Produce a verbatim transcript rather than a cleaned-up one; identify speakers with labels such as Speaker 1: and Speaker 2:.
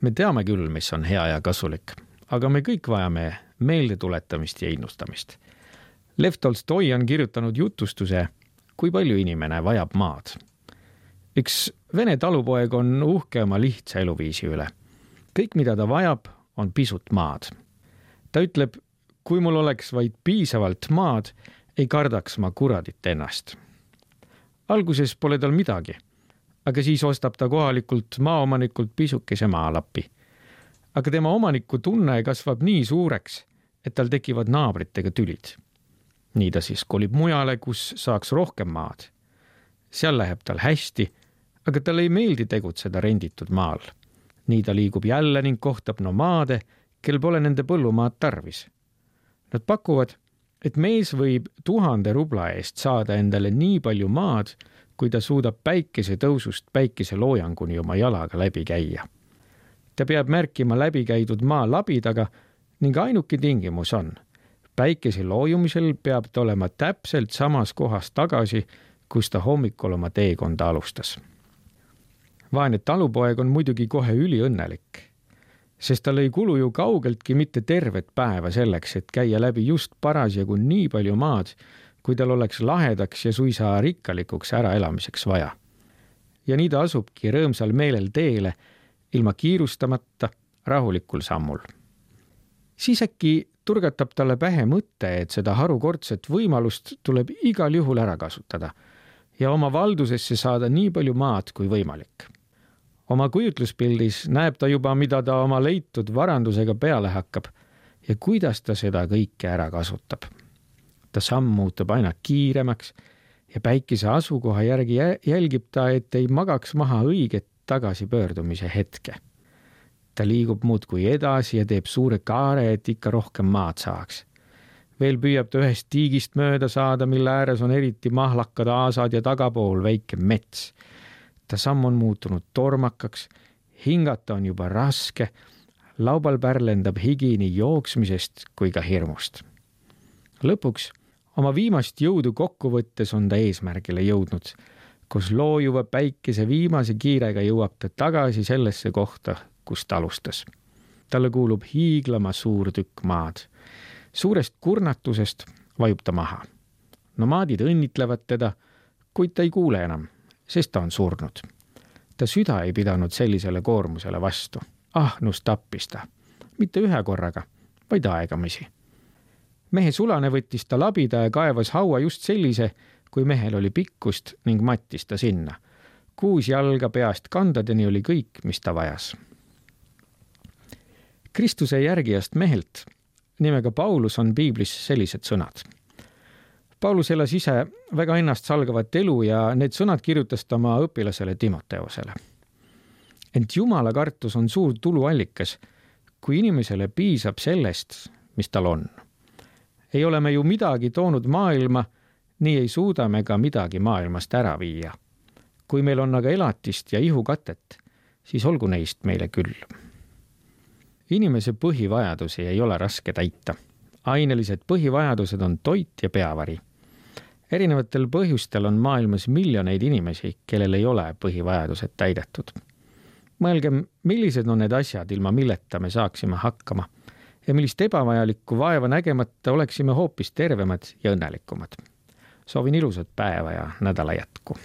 Speaker 1: Me teame küll, mis on hea ja kasulik, aga me kõik vajame meelde tuletamist ja innustamist. Lev Tolstoi on kirjutanud jutustuse, kui palju inimene vajab maad. Üks vene talupoeg on uhke oma lihtsa eluviisi üle. Kõik, mida ta vajab, on pisut maad. Ta ütleb, kui mul oleks vaid piisavalt maad, ei kardaks ma kuradit ennast. Alguses pole tal midagi, aga siis ostab ta kohalikult maaomanikult pisukese maalapi. Aga tema omaniku tunne kasvab nii suureks, et tal tekivad naabritega tülid. Nii ta siis kolib mujale, kus saaks rohkem maad. Seal läheb tal hästi, aga tal ei meeldi tegutseda renditud maal. Nii ta liigub jälle ning kohtab nomaade, kel pole nende põllumaad tarvis. Nad pakuvad, et mees võib tuhande rubla eest saada endale nii palju maad, kui ta suudab päikese tõusust päikese loojanguni oma jalaga läbi käia. Ta peab märkima läbi käidud maa labidaga ning ainuke tingimus on, päikese loojumisel peab ta olema täpselt samas kohas tagasi, kus ta hommikul oma teekonda alustas. Vaene talupoeg on muidugi kohe üliõnnelik, sest tal ei kulu ju kaugeltki mitte tervet päeva selleks, et käia läbi just parasjagu nii palju maad, kui tal oleks lahedaks ja suisa rikkalikuks äraelamiseks vaja. Ja nii ta asubki rõõmsal meelel teele, ilma kiirustamata, rahulikul sammul. Siis äkki turgatab talle pähe mõte, et seda harukordset võimalust tuleb igal juhul ära kasutada ja oma valdusesse saada nii palju maad kui võimalik. Oma kujutluspildis näeb ta juba, mida ta oma leitud varandusega peale hakkab ja kuidas ta seda kõike ära kasutab. Ta samm muutub aina kiiremaks ja päikese asukoha järgi jälgib ta, et ei magaks maha õiget tagasipöördumise hetke. Ta liigub muudkui edasi ja teeb suure kaare, et ikka rohkem maad saaks. Veel püüab ta ühest tiigist mööda saada, mille ääres on eriti mahlakad aasad ja tagapool väike mets. Ta samm on muutunud tormakaks, hingata on juba raske, laubal pärlendab higi nii jooksmisest kui ka hirmust. Lõpuks oma viimast jõudu kokkuvõttes on ta eesmärgile jõudnud, kus loojuva päikese viimase kiirega jõuab ta tagasi sellesse kohta, kus ta alustas. Talle kuulub hiiglama suur tükk maad. Suurest kurnatusest vajub ta maha. Nomaadid õnnitlevad teda, kuid ta ei kuule enam, sest ta on surnud. Ta süda ei pidanud sellisele koormusele vastu. Ahnus tappis ta. Mitte ühe korraga, vaid aegamisi. Mehe sulane võttis ta labida ja kaevas haua just sellise, kui mehel oli pikkust ning mattis ta sinna. Kuus jalga peast kandadeni oli kõik, mis ta vajas. Kristuse järgijast mehelt nimega Paulus on piiblis sellised sõnad. Paulus elas ise väga ennast salgavat elu ja need sõnad kirjutas ta oma õpilasele Timoteosele. Ent Jumala kartus on suur tuluallikas, kui inimesele piisab sellest, mis tal on. Ei ole me ju midagi toonud maailma, nii ei suuda me ka midagi maailmast ära viia. Kui meil on aga elatist ja ihukatet, siis olgu neist meile küll. Inimese põhivajadusi ei ole raske täita. Ainelised põhivajadused on toit ja peavari. Erinevatel põhjustel on maailmas miljoneid inimesi, kellel ei ole põhivajadused täidetud. Mõelgem, millised on need asjad, ilma milleta me saaksime hakkama ja millist ebavajalikku vaeva nägemata oleksime hoopis tervemad ja õnnelikumad. Soovin ilusat päeva ja nädala jätku.